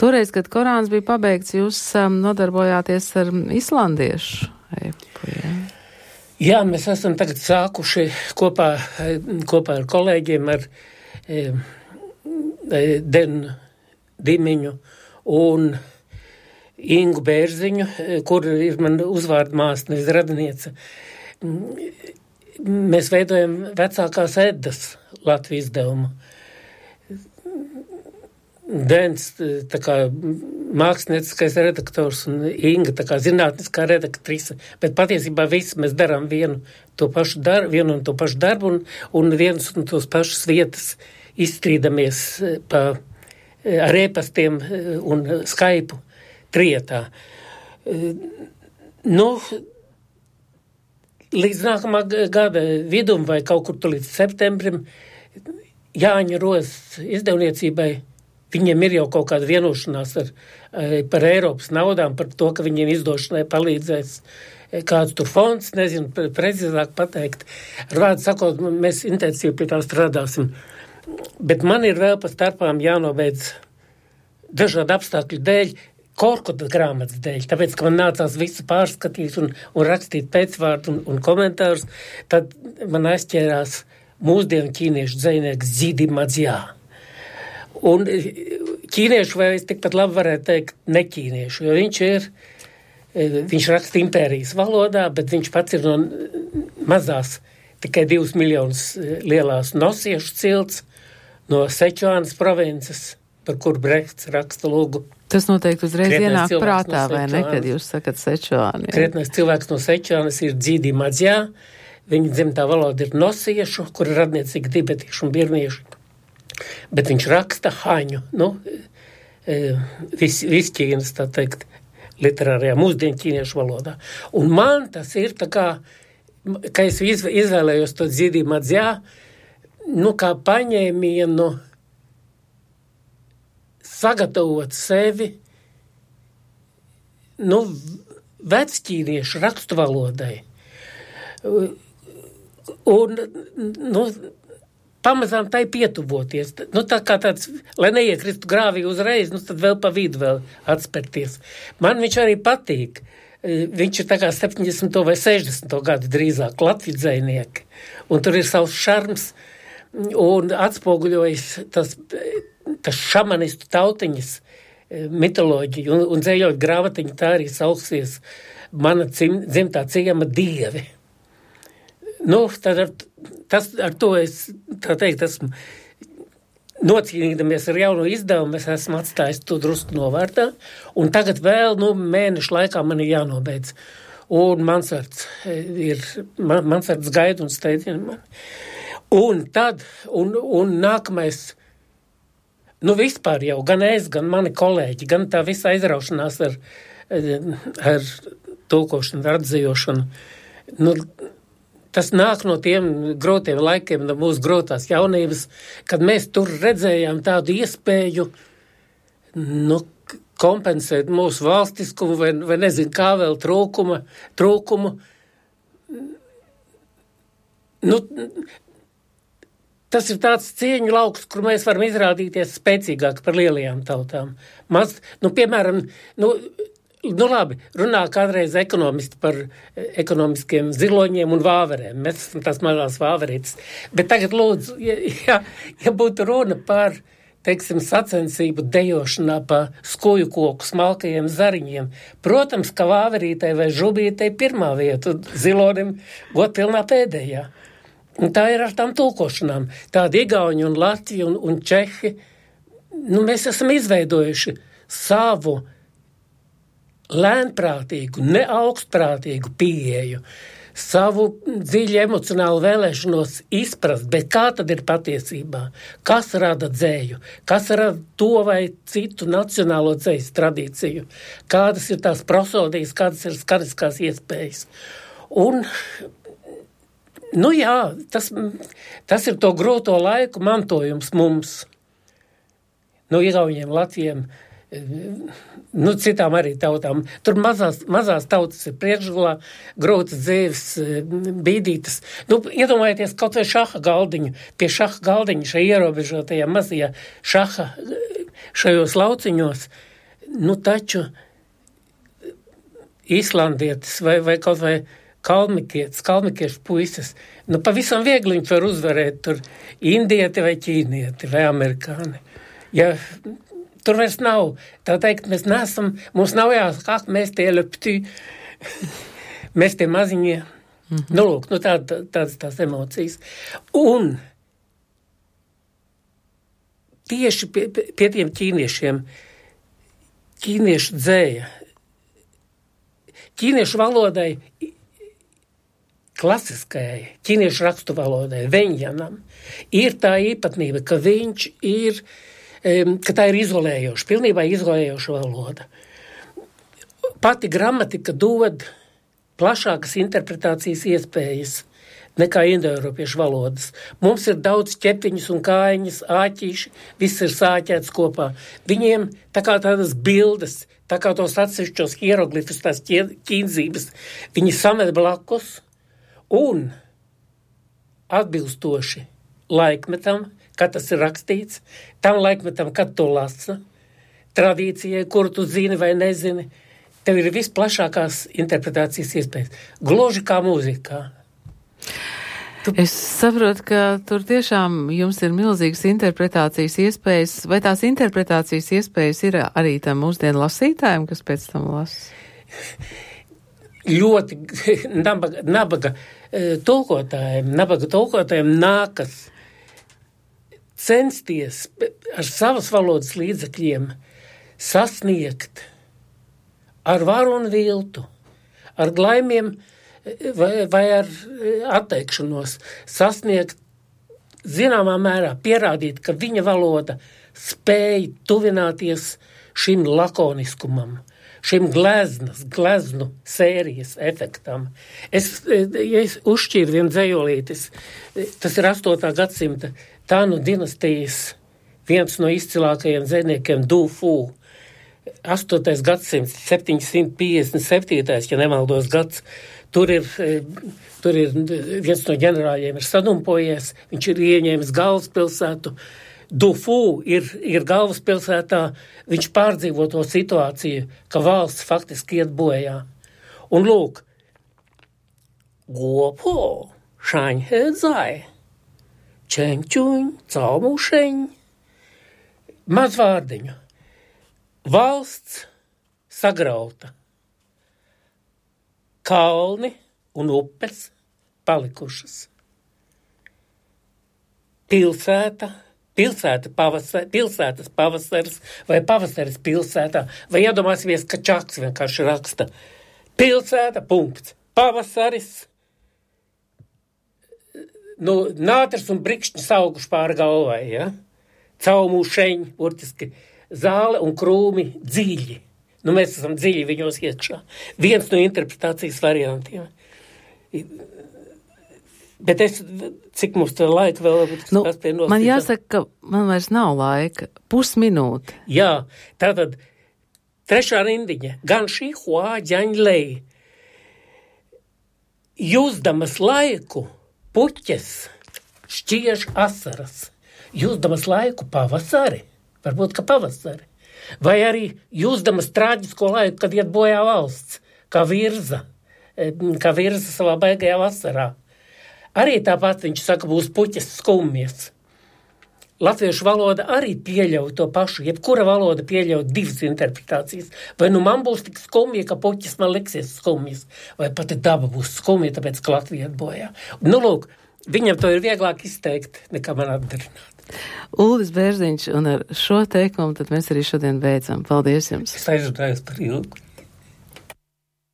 Toreiz, kad Korāns bija pabeigts, jūs nodarbojāties ar islandiešu epu, jā? Jā, mēs esam tagad sākuši kopā ar kolēģiem, ar Denu Dimiņu un Ingu Bērziņu, kur ir man uzvārda māsa, nevis radiniece. Mēs veidojam vecākās Eddas Latvijas izdevumu. Dens, tā kā mākslinieckais redaktors un Inga, tā kā zinātniskā redaktrise, bet patiesībā visi mēs darām vienu un to pašu darbu un vienas un tos pašas vietas izstrīdamies ar e-pastiem un Skype trietā. Līdz nākamā gada vidum vai kaut kur līdz septembrim Jāņa Rozes izdevniecībai viņiem ir jau kaut kāda vienošanās par Eiropas naudām, par to, ka viņiem izdošanai palīdzēs kāds tur fonds, nezinu, precīzāk pateikt. Ar vārdu sakot, mēs intensīvi pie tā strādāsim. Bet man ir vēl pa starpām jānobeidz dažādu apstākļu dēļ, Korkuta grāmatas dēļ, tāpēc, ka man nācās visu pārskatīt un rakstīt pēcvārdu un komentārus, tad man aizķērās mūsdienu ķīniešu dzejnieks Zidi Madzjā. Un ķīniešu vai es tikpat labi varētu teikt neķīniešu, jo viņš raksta impērijas valodā, bet viņš pats ir no mazās, tikai 2 miljonus lielās nosiešu cilts, no Sečuānas provinces, par kur Brekts raksta lūgu. Tas noteikti uzreiz ienāk prātā, vai ne, kad jūs sakat Sečuāni? Krietnais cilvēks no Sečuānas ir Zidi Madzjā, viņa dzimtā valoda ir nosiešu, kur ir radniecīgi tibetiešu un birmiešu. Bet viņš raksta haņu, visķīnas, tā teikt, literārajā mūsdienu ķīniešu valodā. Un man tas ir tā kā es izvēlējos to Zidi Madzjā, kā paņēmienu sagatavot sevi, vecķīniešu rakstu valodai. Un, pamazām tai pietuvoties. Tā kā tāds, lai neiekristu grāvī uzreiz, tad vēl pa vidu vēl atspērties. Man viņš arī patīk. Viņš ir tā kā 70. vai 60. gadu drīzāk Latvijas dzejnieki. Un tur ir savs šarms un atspoguļojas tas šamanistu tautiņas mitoloģiju un dzējot grāmatiņu tā arī sauksies mana dzimtā ciema dievi. Ar to es, tā teikt, esmu nocīnīdamies ar jauno izdevumu, es esmu atstājis to drusku novārtā, un tagad vēl, mēnešu laikā man ir jānobeidz. Un Mansards gaida un steidzina mani. Un tad, un nākamais, vispār jau, gan es, gan mani kolēģi, gan tā visa aizraušanās ar tulkošanu, ar atzījošanu, tas nāk no tiem grūtiem laikiem, no mūsu grūtās jaunības, kad mēs tur redzējām tādu iespēju, kompensēt mūsu valstiskumu vai nezinu kā vēl trūkumu. Tas ir tāds cieņu lauks, kur mēs varam izrādīties spēcīgāk par lielajām tautām. Piemēram, labi, runā kādreiz ekonomisti par ekonomiskiem ziloņiem un vāverēm. Mēs esam tās mazās vāverītes. Bet tagad lūdzu, ja būtu runa par, teiksim, sacensību dejošanā pa skuju koku smalkajiem zariņiem, protams, ka vāverītei vai žubītei pirmā vieta, zilonim godpilnā pēdējā. Un tā ir ar tām tulkošanām. Tādi igauņi un latvi un čehi, mēs esam izveidojuši savu lēnprātīgu, neaugstprātīgu pieeju, savu dziļu emocionālu vēlēšanos izprast, bet kā tad ir patiesībā? Kas rada dzēju? Kas rada to vai citu nacionālo dzējas tradīciju? Kādas ir tās prosodijas, kādas ir skariskās iespējas? Un, tas ir to grūto laiku mantojums mums, igauņiem, latviem, citām arī tautām. Tur mazās tautas ir priekšgalā, grūtas dzīves, bīdītas. Iedomājieties kaut vai šaha galdiņu. Pie šaha galdiņa, šajā ierobežotajā mazajā šaha, šajos lauciņos, Nu, taču islandietis vai kaut vai kalmikiešu puises, nu, pavisam viegli viņš var uzvarēt tur indieti vai ķīnieti vai amerikāni. Ja tur vairs nav, tā teikt, mums nav jāsaka, mēs tie leptī, mēs tie maziņie. Nu, lūk, nu, tādas tās emocijas. Un tieši pie tiem ķīniešiem, ķīniešu dzēja, ķīniešu valodai, klasiskajai, ķīniešu rakstu valodai, veņjanam, ir tā īpatnība, ka viņš ir, ka tā ir izolējoša, pilnībā izolējoša valoda. Pati gramatika dod plašākas interpretācijas iespējas nekā indoeiropiešu valodas. Mums ir daudz ķepiņas un kājiņas, āķīši, viss ir sāķēts kopā. Viņiem tā kā tādas bildes, tā kā tos atsevišķos hieroglifus, tās ķīnzības, viņi samet blakus un atbilstoši laikmetam, kad tas ir rakstīts, tam laikmetam, kad to lasa, tradīcijai, kuru tu zini vai nezini, tev ir visplašākās interpretācijas iespējas. Gluži kā mūzikā. Es saprotu, ka tur tiešām jums ir milzīgas interpretācijas iespējas, vai tās interpretācijas iespējas ir arī tam mūsdienu lasītājiem, kas pēc tam lasa? Ļoti nabaga tulkotājiem nākas censties ar savas valodas līdzekļiem sasniegt ar varu un viltu, ar glaimiem vai ar atteikšanos sasniegt zināmā mērā, pierādīt, ka viņa valoda spēj tuvināties šim lakoniskumam, šim gleznu sērijas efektam. Ja es uzšķīru vienu dzējolītis, tas ir 8. gadsimta Tānu dinastijas viens no izcilākajiem dzējniekiem Du Fu. 8. gadsimts, 757. ja nemaldos gads, tur ir viens no ģenerāļiem ir sadumpojies, viņš ir ieņēmis galvaspilsētu. Du Fu ir galvaspilsētā, viņš pārdzīvo to situāciju, ka valsts faktiski iet bojā. Un lūk, Guopo, Šaņhe Zai, Čengčuņ, Caumušeņ, maz vārdiņu. Valsts sagrauta. Kalni un upes palikušas. Pilsētas pavasaris vai pavasaris pilsētā. Vai iedomāsimies, ka Čaks vienkārši raksta. Pilsēta, punkts. Pavasaris. Nu, nātris un brikšņi sauguši pāri galvai, ja? Caumušeņi, burtiski zāle un krūmi dziļi. Nu, mēs esam dziļi viņos iekšā. Viens no interpretācijas variantiem. Bet cik mums tā laika vēl spēj nostīt? Man jāsaka, ka man vairs nav laika. Pusminūte. Jā, tātad trešā rindiņa. Gan šī hua ģaņlei. Jūsdamas laiku puķes šķiež asaras. Jūsdamas laiku pavasari. Varbūt, ka pavasari. Vai arī jūsdamas traģisko laiku, kad iet bojā valsts, kā virza savā baigajā vasarā. Arī tāpat viņš saka, būs puķes skumjas. Latviešu valoda arī pieļauj to pašu, jebkura valoda pieļauj divas interpretācijas. Vai nu man būs tik skumja, ka puķes man liksies skumjas, vai pati daba būs skumja, tāpēc, ka Latvija iet bojā. Nu, lūk, viņam to ir vieglāk izteikt, nekā man atdarināt. Uldis Bērziņš, un ar šo teikumu tad mēs arī šodien beidzam. Paldies jums! Es aizrunājos par ilgu.